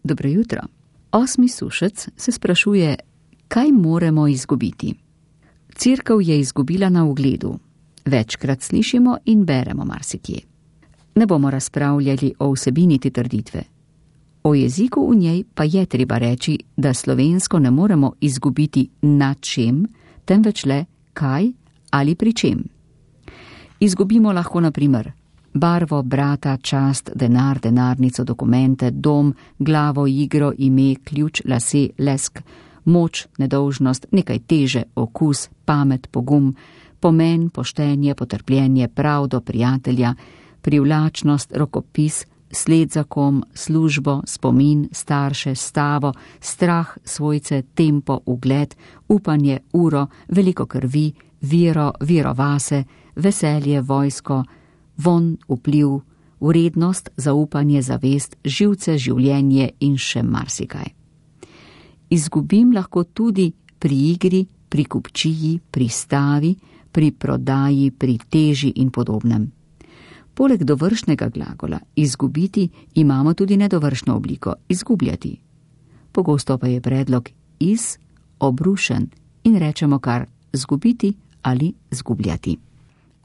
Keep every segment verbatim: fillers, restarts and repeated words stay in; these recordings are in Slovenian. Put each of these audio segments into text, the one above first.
Dobro jutro. Osmi sušec se sprašuje, kaj moramo izgubiti. Cerkev je izgubila na ugledu. Večkrat slišimo in beremo marsikje. Ne bomo razpravljali o vsebini te trditve. O jeziku v njej pa je treba reči, da slovensko ne moremo izgubiti na čem, temveč le kaj ali pri čem. Izgubimo lahko na primer barvo, brata, čast, denar, denarnico, dokumente, dom, glavo, igro, ime, ključ, lase, lesk, moč, nedolžnost, nekaj teže, okus, pamet, pogum, pomen, poštenje, potrpljenje, pravdo, prijatelja, privlačnost, rokopis, sled za kom, službo, spomin, starše, stavo, strah, svojce, tempo, ugled, upanje, uro, veliko krvi, vero, vero vase, veselje, vojsko, von, vpliv, vrednost, zaupanje, zavest, živce, življenje in še marsikaj. Izgubim lahko tudi pri igri, pri kupčiji, pri stavi, pri prodaji, pri teži in podobnem. Poleg dovršnega glagola izgubiti imamo tudi nedovršno obliko izgubljati. Pogosto pa je predlog iz obrušen in rečemo kar zgubiti ali zgubljati.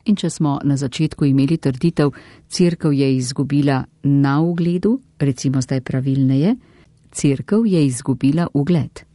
In če smo na začetku imeli trditev, cerkev je izgubila na ugledu, recimo zdaj pravilneje, cerkev je izgubila ugled.